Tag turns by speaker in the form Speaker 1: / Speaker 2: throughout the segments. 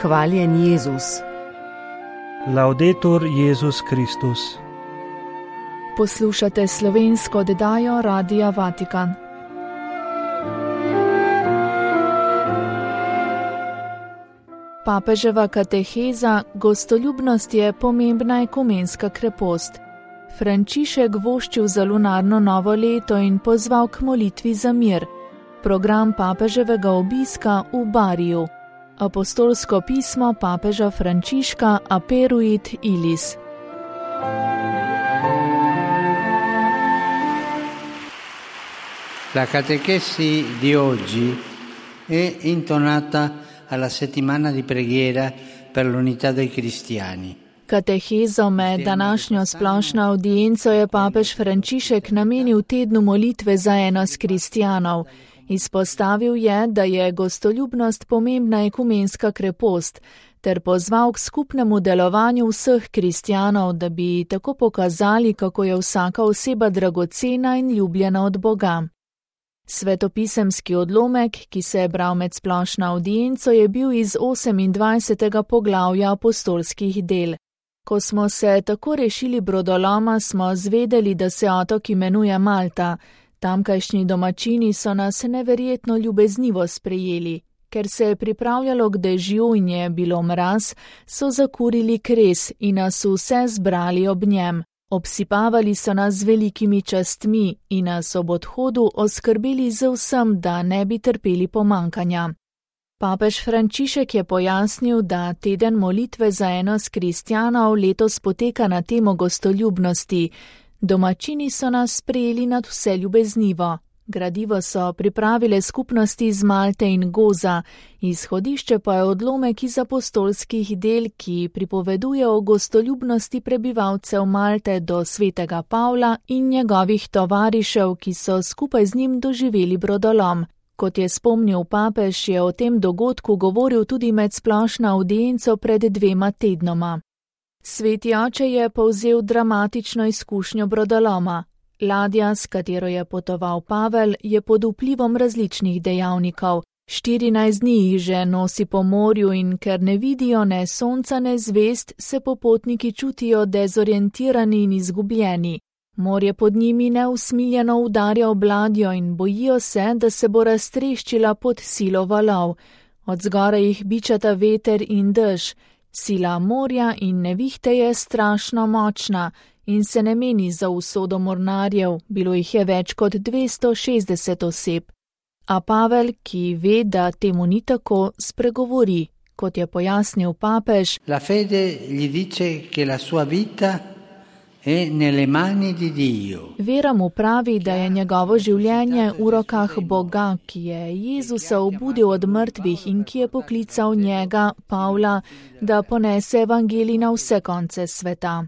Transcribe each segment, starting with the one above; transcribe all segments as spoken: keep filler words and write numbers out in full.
Speaker 1: Hvaljen Jezus.
Speaker 2: Laudetur Jezus Kristus.
Speaker 3: Poslušate slovensko oddajo Radia Vatikan. Papeževa kateheza: gostoljubnost je pomembna ekumenska krepost. Frančišek voščil za lunarno novo leto in pozval k molitvi za mir. Program papeževega obiska v Bariju. Apostolsko pismo papeža Frančiška Aperuit Ilis.
Speaker 4: La catechesi di oggi è intonata alla settimana di preghiera per l'unità dei cristiani.
Speaker 3: Katehezo med današnjo splošno audienco je papež Frančišek namenil tednu molitve za enost kristjanov. Izpostavil je, da je gostoljubnost pomembna ekumenska krepost, ter pozval k skupnemu delovanju vseh kristjanov, da bi tako pokazali, kako je vsaka oseba dragocena in ljubljena od Boga. Svetopisemski odlomek, ki se je bral med splošno audienco, je bil iz osemindvajsetega poglavja apostolskih del. Ko smo se tako rešili brodoloma, smo zvedeli, da se otok imenuje Malta. Tamkajšnji domačini so nas neverjetno ljubeznivo sprejeli. Ker se je pripravljalo k dežju in je bilo mraz, so zakurili kres in nas vse zbrali ob njem. Obsipavali so nas z velikimi častmi in nas ob odhodu oskrbeli z vsem, da ne bi trpeli pomankanja. Papež Frančišek je pojasnil, da teden molitve za enost kristjanov letos poteka na temo gostoljubnosti. Domačini so nas sprejeli nad vse ljubeznivo. Gradivo so pripravile skupnosti iz Malte in Goza, izhodišče pa je odlomek iz apostolskih del, ki pripoveduje o gostoljubnosti prebivalcev Malte do svetega Pavla in njegovih tovarišev, ki so skupaj z njim doživeli brodolom. Kot je spomnil papež, je o tem dogodku govoril tudi med splošno audienco pred dvema tednoma. Sveti oče je povzel dramatično izkušnjo brodoloma. Ladja, s katero je potoval Pavel, je pod vplivom različnih dejavnikov. štirinajst dni jih že nosi po morju in ker ne vidijo ne sonca ne zvezd, se popotniki čutijo dezorientirani in izgubljeni. Morje pod njimi neusmiljeno udarja ob ladjo in bojijo se, da se bo raztreščila pod silo valov. Od zgoraj jih bičata veter in dež. Sila morja in nevihte je strašno močna in se ne meni za usodo mornarjev, bilo jih je več kot dvesto šestdeset oseb. A Pavel, ki ve, da temu ni tako, spregovori, kot je pojasnil papež.
Speaker 4: La fede gli dice che la sua vita è nelle mani di Dio.
Speaker 3: Vera mu pravi, da je njegovo življenje v rokah Boga, ki je Jezusa obudil od mrtvih in ki je poklical njega, Pavla, da ponese evangelij na vse konce sveta.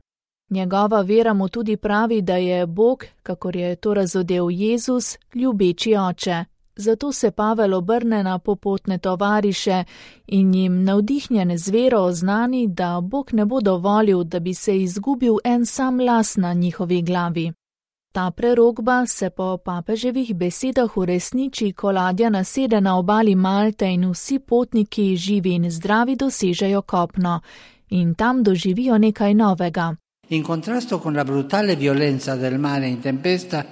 Speaker 3: Njegova vera mu tudi pravi, da je Bog, kakor je to razodel Jezus, ljubeči oče. Zato se Pavel obrne na popotne tovariše in jim navdihnjen z vero oznani, da Bog ne bo dovolil, da bi se izgubil en sam las na njihovi glavi. Ta prerokba se po papeževih besedah uresniči, ko ladja nasede na obali Malte in vsi potniki, živi in zdravi, dosežejo kopno in tam doživijo nekaj novega.
Speaker 4: In contrasto con la brutale violenza del mare in tempesta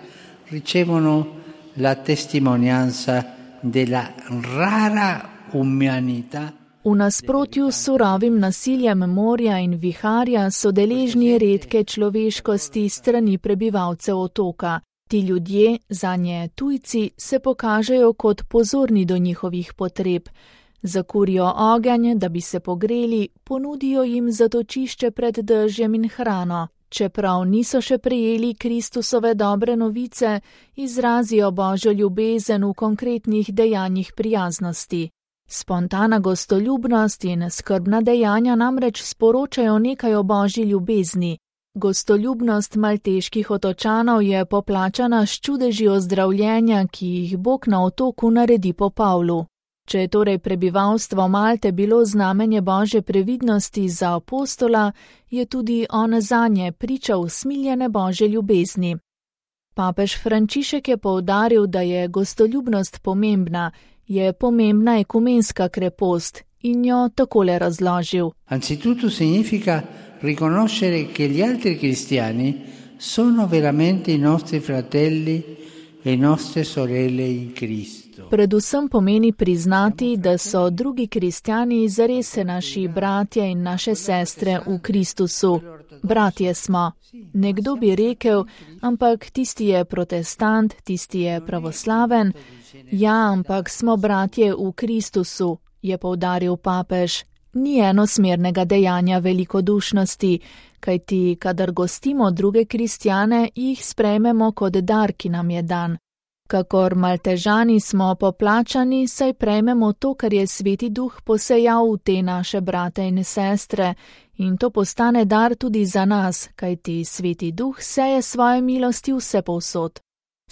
Speaker 4: ricevono la testimonianza della rara umanità.
Speaker 3: V nasprotju s surovim nasiljem morja in viharja so deležni redke človeškosti strani prebivalcev otoka. Ti ljudje, zanje tujci, se pokažejo kot pozorni do njihovih potreb. Zakurijo ogenj, da bi se pogreli, ponudijo jim zatočišče pred dežjem in hrano. Čeprav niso še prejeli Kristusove dobre novice, izrazijo Božjo ljubezen v konkretnih dejanjih prijaznosti. Spontana gostoljubnost in skrbna dejanja namreč sporočajo nekaj o Božji ljubezni. Gostoljubnost malteških otočanov je poplačana s čudeži ozdravljenja, ki jih Bog na otoku naredi po Pavlu. Če je torej prebivalstvo Malte bilo znamenje Božje previdnosti za apostola, je tudi on zanje pričal smiljene Božje ljubezni. Papež Frančišek je poudaril, da je gostoljubnost pomembna, je pomembna ekumenska krepost in jo takole razložil.
Speaker 4: Anzitutto significa riconoscere che gli altri cristiani sono veramente i nostri fratelli e nostre sorelle in Cristo.
Speaker 3: Predvsem pomeni priznati, da so drugi kristjani zares naši bratje in naše sestre v Kristusu. Bratje smo. Nekdo bi rekel, ampak tisti je protestant, tisti je pravoslaven. Ja, ampak smo bratje v Kristusu, je poudaril papež. Ni enosmernega dejanja velikodušnosti, kajti kadar gostimo druge kristjane, jih sprejmemo kot dar, ki nam je dan. Kakor Maltežani smo poplačani, saj prejmemo to, kar je Sveti Duh posejal v te naše brate in sestre, in to postane dar tudi za nas, kajti Sveti Duh seje svoje milosti vsepovsod.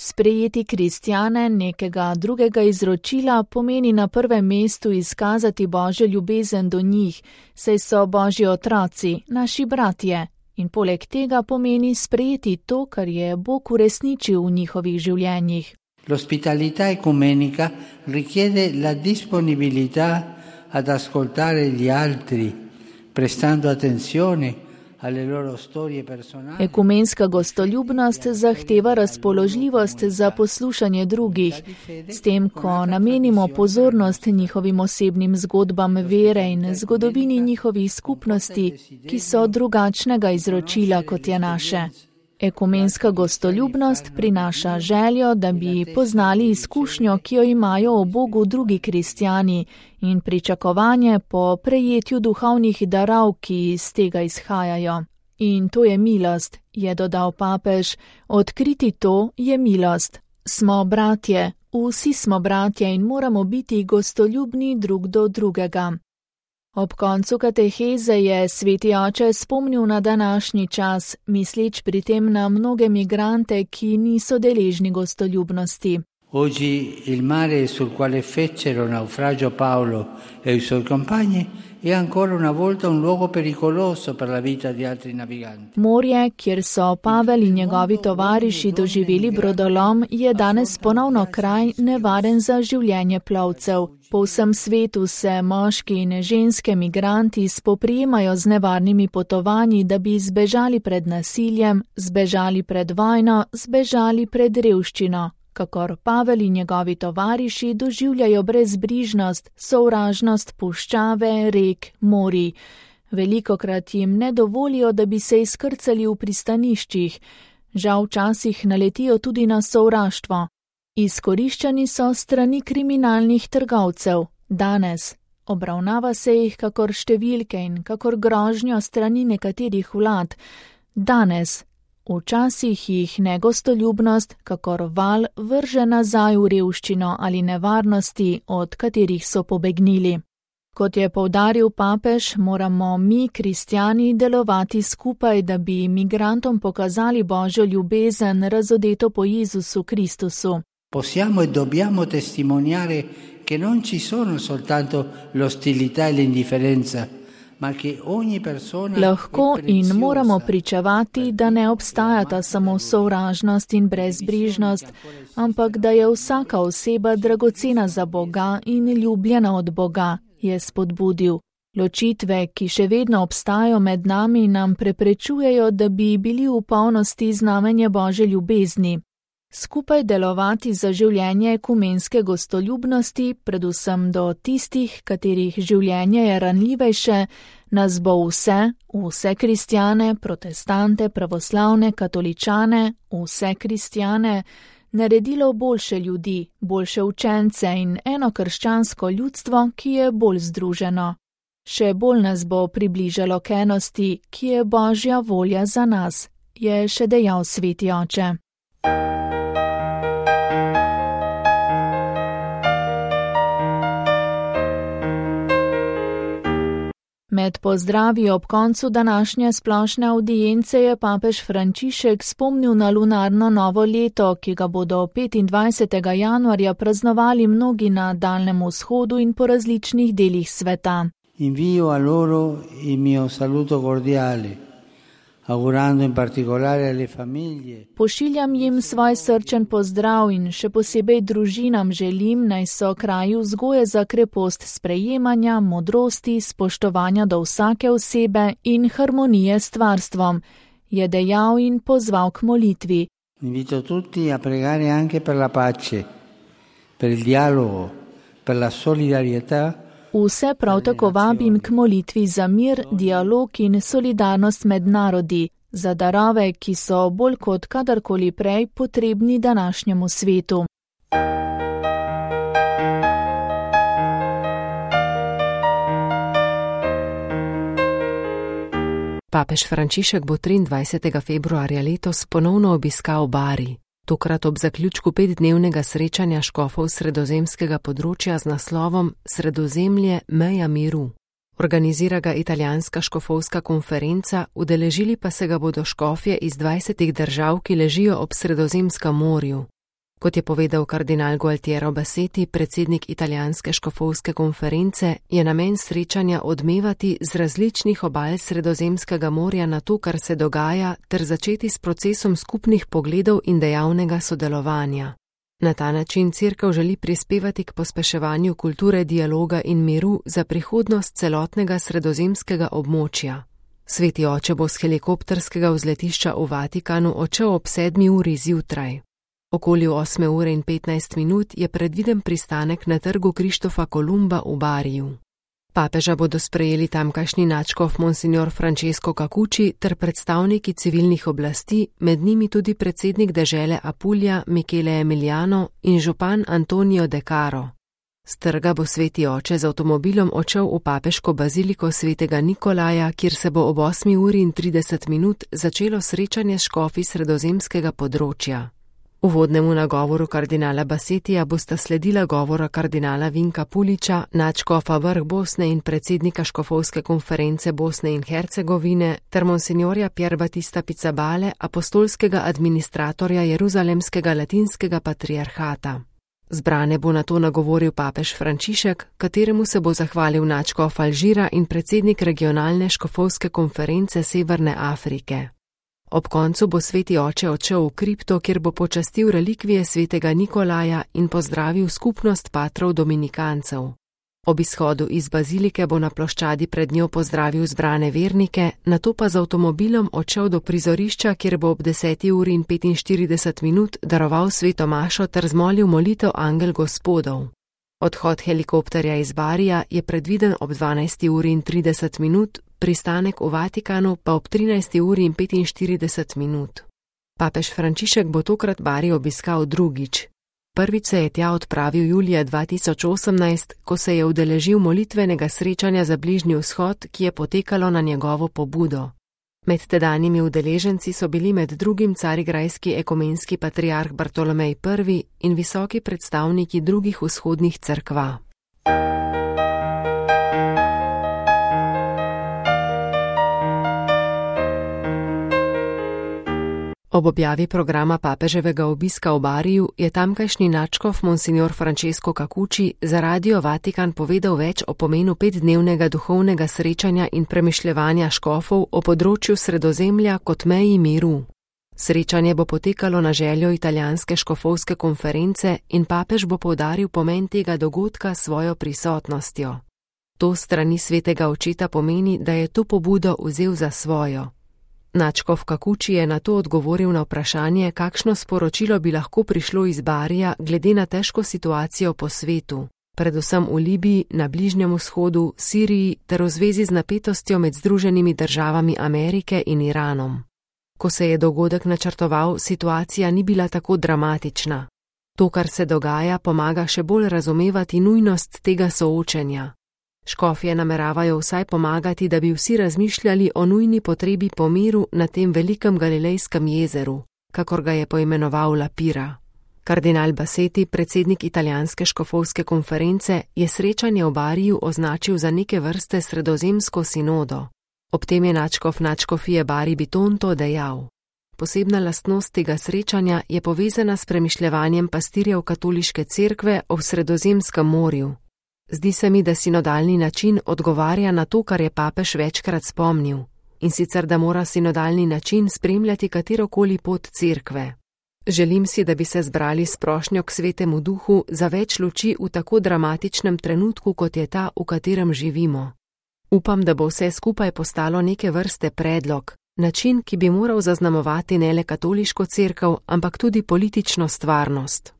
Speaker 3: Sprejeti kristjane nekega drugega izročila pomeni na prvem mestu izkazati Božjo ljubezen do njih, saj so Božji otroci, naši bratje, in poleg tega pomeni sprejeti to, kar je Bog uresničil v njihovih življenjih.
Speaker 4: L'ospitalità ecumenica richiede la disponibilità ad ascoltare gli altri, prestando attenzione alle loro storie personali.
Speaker 3: Ekumenska gostoljubnost zahteva razpoložljivost za poslušanje drugih, s tem, ko namenimo pozornost njihovim osebnim zgodbam vere in zgodovini njihovih skupnosti, ki so drugačnega izročila, kot je naše. Ekumenska gostoljubnost prinaša željo, da bi poznali izkušnjo, ki jo imajo o Bogu drugi kristjani, in pričakovanje po prejetju duhovnih darov, ki iz tega izhajajo. In to je milost, je dodal papež. Odkriti to je milost. Smo bratje, vsi smo bratje in moramo biti gostoljubni drug do drugega. Ob koncu kateheze je Sveti oče spomnil na današnji čas, misleč pri tem na mnoge migrante, ki niso deležni gostoljubnosti.
Speaker 4: Oggi il mare sul quale fecero naufragio Paolo e i suoi compagni è ancora una volta un luogo pericoloso per la vita di altri naviganti.
Speaker 3: Morje, kjer so Pavel in njegovi tovariši doživeli brodolom, je danes ponovno kraj nevaren za življenje plovcev. Po vsem svetu se moški in ženske migranti spoprijemajo z nevarnimi potovanji, da bi zbežali pred nasiljem, zbežali pred vojno, zbežali pred revščino. Kakor Pavel in njegovi tovariši doživljajo brezbrižnost, sovražnost puščave, rek, morij. Velikokrat jim ne dovolijo, da bi se izkrcali v pristaniščih. Žal včasih naletijo tudi na sovraštvo. Izkoriščani so strani kriminalnih trgovcev. Danes obravnava se jih kakor številke in kakor grožnjo strani nekaterih vlad. Danes včasih jih negostoljubnost, kakor val, vrže nazaj v revščino ali nevarnosti, od katerih so pobegnili. Kot je poudaril papež, moramo mi, kristjani, delovati skupaj, da bi migrantom pokazali Božjo ljubezen, razodeto po Jezusu Kristusu.
Speaker 4: Possiamo e dobbiamo testimoniare che non ci sono soltanto l'ostilità e l'indifferenza,
Speaker 3: Lahko in moramo pričevati, da ne obstajata samo sovražnost in brezbrižnost, ampak da je vsaka oseba dragocena za Boga in ljubljena od Boga, je spodbudil. Ločitve, ki še vedno obstajajo med nami, nam preprečujejo, da bi bili v polnosti znamenje Božje ljubezni. Skupaj delovati za življenje ekumenske gostoljubnosti, predvsem do tistih, katerih življenje je ranljivejše, nas bo vse, vse kristjane, protestante, pravoslavne, katoličane, vse kristjane, naredilo boljše ljudi, boljše učence in eno krščansko ljudstvo, ki je bolj združeno. Še bolj nas bo približalo k enosti, ki je Božja volja za nas, je še dejal Sveti oče. Med pozdravi ob koncu današnje splošne avdience je papež Frančišek spomnil na lunarno novo leto, ki ga bodo petindvajsetega januarja praznovali mnogi na Daljnem vzhodu in po različnih delih sveta.
Speaker 4: Invio a loro il mio saluto cordiale, augurando in particolare alle famiglie.
Speaker 3: Pošiljam jim svoj srčen pozdrav in še posebej družinam želim, naj so kraju vzgoje za krepost sprejemanja, modrosti, spoštovanja do vsake osebe in harmonije s stvarstvom, je dejal in pozval k molitvi.
Speaker 4: Invito tutti a pregare anche per la pace, per il dialogo, per la solidarietà.
Speaker 3: Vse prav tako vabim k molitvi za mir, dialog in solidarnost med narodi, za darove, ki so bolj kot kadarkoli prej potrebni današnjemu svetu.
Speaker 1: Papež Frančišek bo triindvajsetega februarja letos ponovno obiskal Bari, tokrat ob zaključku petdnevnega srečanja škofov sredozemskega področja z naslovom Sredozemlje meja miru. Organizira ga italijanska škofovska konferenca, udeležili pa se ga bodo škofje iz dvajsetih držav, ki ležijo ob Sredozemskem morju. Kot je povedal kardinal Gualtiero Bassetti, predsednik italijanske škofovske konference, je namen srečanja odmevati z različnih obal Sredozemskega morja na to, kar se dogaja, ter začeti s procesom skupnih pogledov in dejavnega sodelovanja. Na ta način Cerkev želi prispevati k pospeševanju kulture dialoga in miru za prihodnost celotnega sredozemskega območja. Sveti oče bo s helikopterskega vzletišča v Vatikanu odšel ob sedmi uri zjutraj. Okoli osme ure in petnajst minut je predviden pristanek na trgu Krištofa Kolumba v Bariju. Papeža bodo sprejeli tamkajšnji nadškof monsignor Francesco Cacucci ter predstavniki civilnih oblasti, med njimi tudi predsednik dežele Apulja Michele Emiliano in župan Antonio De Caro. S trga bo sveti oče z avtomobilom odšel v papeško baziliko svetega Nikolaja, kjer se bo ob osmi uri in trideset minut začelo srečanje s škofi sredozemskega področja. Uvodnemu nagovoru kardinala Bassettija bosta sledila govora kardinala Vinka Puliča, nadškofa vrh Bosne in predsednika škofovske konference Bosne in Hercegovine, ter monsignorja Pier Battista Pizzabale, apostolskega administratorja Jeruzalemskega latinskega patriarhata. Zbrane bo nato nagovoril papež Frančišek, kateremu se bo zahvalil nadškof Alžira in predsednik regionalne škofovske konference Severne Afrike. Ob koncu bo sveti oče odšel v kripto, kjer bo počastil relikvije svetega Nikolaja in pozdravil skupnost patrov dominikancev. Ob izhodu iz bazilike bo na ploščadi pred njo pozdravil zbrane vernike, nato pa z avtomobilom odšel do prizorišča, kjer bo ob deseti uri in petinštirideset minut daroval sveto mašo ter zmolil molitev Angel Gospodov. Odhod helikopterja iz Barija je predviden ob dvanajsti uri in trideset minut, pristanek v Vatikanu pa ob trinajsti uri in petinštirideset minut. Papež Frančišek bo tokrat Bari obiskal drugič. Prvič se je tja odpravil julija dva tisoč osemnajst, ko se je udeležil molitvenega srečanja za Bližnji vzhod, ki je potekalo na njegovo pobudo. Med tedanjimi udeleženci so bili med drugim carigrajski ekumenski patriarh Bartolomej Prvi in visoki predstavniki drugih vzhodnih cerkva. Ob objavi programa papeževega obiska v Bariju je tamkajšnji nadškof monsignor Francesco Cacucci za Radio Vatikan povedal več o pomenu petdnevnega duhovnega srečanja in premišljevanja škofov o področju Sredozemlja kot meji miru. Srečanje bo potekalo na željo italijanske škofovske konference in papež bo poudaril pomen tega dogodka s svojo prisotnostjo. To strani svetega očeta pomeni, da je to pobudo vzel za svojo. Nadškof Cacucci je na to odgovoril na vprašanje, kakšno sporočilo bi lahko prišlo iz Barija glede na težko situacijo po svetu, predvsem v Libiji, na Bližnjem vzhodu, Siriji ter v zvezi z napetostjo med Združenimi državami Amerike in Iranom. Ko se je dogodek načrtoval, situacija ni bila tako dramatična. To, kar se dogaja, pomaga še bolj razumevati nujnost tega soočenja. Škofje nameravajo vsaj pomagati, da bi vsi razmišljali o nujni potrebi po miru na tem velikem galilejskem jezeru, kakor ga je poimenoval Lapira. Kardinal Bassetti, predsednik italijanske škofovske konference, je srečanje v Bariju označil za neke vrste sredozemsko sinodo. Ob tem je nadškof nadškofije Bari Bitonto dejal: Posebna lastnost tega srečanja je povezana s premišljevanjem pastirjev katoliške cerkve o Sredozemskem morju. Zdi se mi, da sinodalni način odgovarja na to, kar je papež večkrat spomnil. in sicer da mora sinodalni način spremljati katerokoli pot cerkve. Želim si, da bi se zbrali s prošnjo k Svetemu Duhu za več luči v tako dramatičnem trenutku, kot je ta, v katerem živimo. Upam, da bo vse skupaj postalo neke vrste predlog, način, ki bi moral zaznamovati ne le katoliško cerkev, ampak tudi politično stvarnost.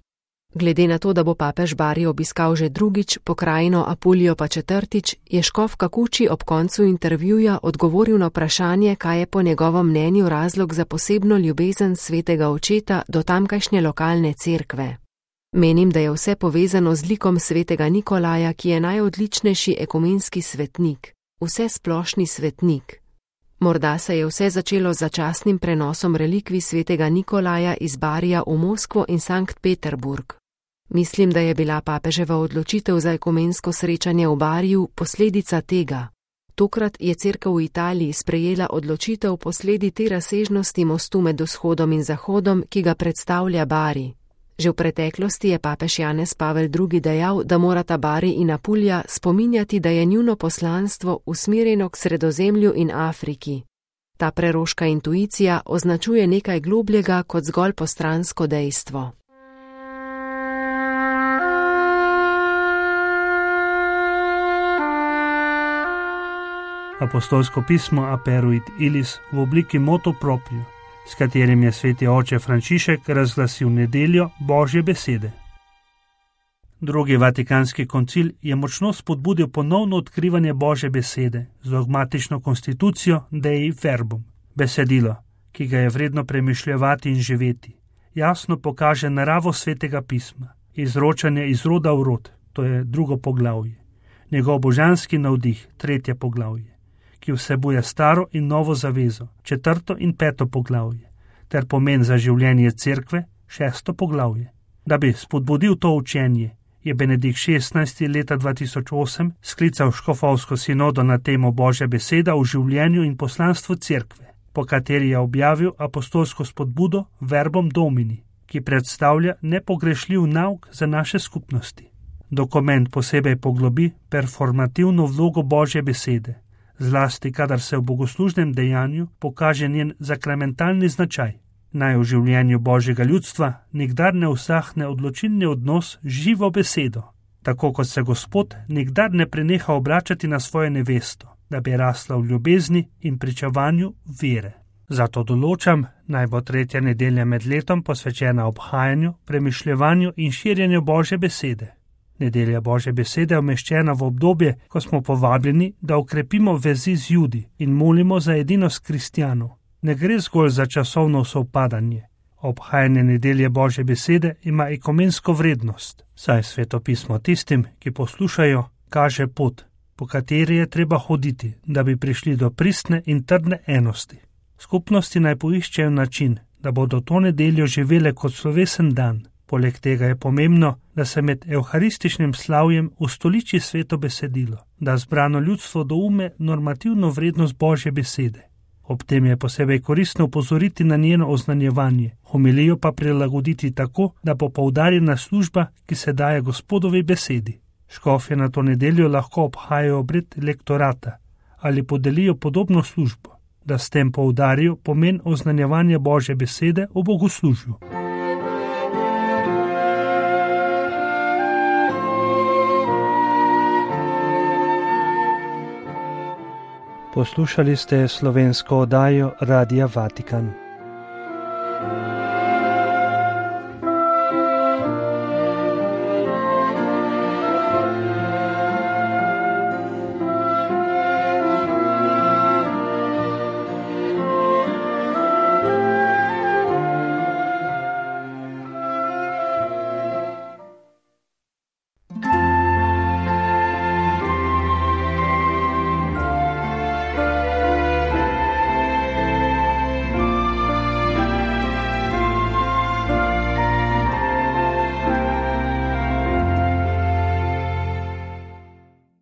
Speaker 1: Glede na to, da bo papež Bari obiskal že drugič, pokrajino Apulijo pa četrtič, je škof Kakuči ob koncu intervjuja odgovoril na vprašanje, kaj je po njegovem mnenju razlog za posebno ljubezen svetega očeta do tamkajšnje lokalne cerkve. Menim, da je vse povezano z likom svetega Nikolaja, ki je najodličnejši ekumenski svetnik, vse splošni svetnik. Morda se je vse začelo z začasnim prenosom relikvij svetega Nikolaja iz Barija v Moskvo in Sankt Peterburg. Mislim, da je bila papeževa odločitev za ekumensko srečanje v Bariju posledica tega. Tokrat je cerkev v Italiji sprejela odločitev posledi te razsežnosti mostu med vzhodom in zahodom, ki ga predstavlja Bari. Že v preteklosti je papež Janez Pavel drugi dejal, da morata Bari in Apulija spominjati, da je njuno poslanstvo usmerjeno k Sredozemlju in Afriki. Ta preroška intuicija označuje nekaj globljega kot zgolj postransko dejstvo.
Speaker 2: Apostolsko pismo Aperuit Illis v obliki motu proprio, s katerim je sveti oče Frančišek razglasil nedeljo Božje besede. Drugi vatikanski koncil je močno spodbudil ponovno odkrivanje Božje besede z dogmatično konstitucijo Dei Verbum. Besedilo, ki ga je vredno premišljevati in živeti, jasno pokaže naravo svetega pisma, izročanje iz roda v rod, to je drugo poglavje, njegov božanski navdih, tretje poglavje, ki vsebuje staro in novo zavezo, četrto in peto poglavje, ter pomen za življenje cerkve, šesto poglavje. Da bi spodbudil to učenje, je Benedikt šestnajsti leta dva tisoč osem sklical škofovsko sinodo na temo Božja beseda v življenju in poslanstvu cerkve, po kateri je objavil apostolsko spodbudo Verbum Domini, ki predstavlja nepogrešljiv nauk za naše skupnosti. Dokument posebej poglobi performativno vlogo Božje besede, zlasti kadar se v bogoslužnem dejanju pokaže njen zakramentalni značaj. Naj v življenju Božjega ljudstva nikdar ne usahne odločilni odnos z živo besedo, tako kot se Gospod nikdar ne preneha obračati na svojo nevesto, da bi rasla v ljubezni in pričevanju vere. Zato določam, naj bo tretja nedelja med letom posvečena obhajanju, premišljevanju in širjenju Božje besede. Nedelja Božje besede je umeščena v obdobje, ko smo povabljeni, da okrepimo vezi z Judi in molimo za edinost kristjanov. Ne gre zgolj za časovno sovpadanje. Obhajanje nedelje Božje besede ima ekumensko vrednost, saj Sveto pismo tistim, ki poslušajo, kaže pot, po kateri je treba hoditi, da bi prišli do pristne in trdne enosti. Skupnosti naj poiščejo način, da bodo to nedeljo živele kot slovesen dan. Poleg tega je pomembno, da se med evharističnim slavjem ustoliči sveto besedilo, da zbrano ljudstvo doume normativno vrednost Božje besede. Ob tem je posebej koristno upozoriti na njeno oznanjevanje, homilijo pa prilagoditi tako, da bo poudarjena služba, ki se daje Gospodovi besedi. Škofje na to nedeljo lahko obhajajo obred lektorata ali podelijo podobno službo, da s tem poudarijo pomen oznanjevanja Božje besede v bogoslužju. Poslušali ste slovensko oddajo Radia Vatikan.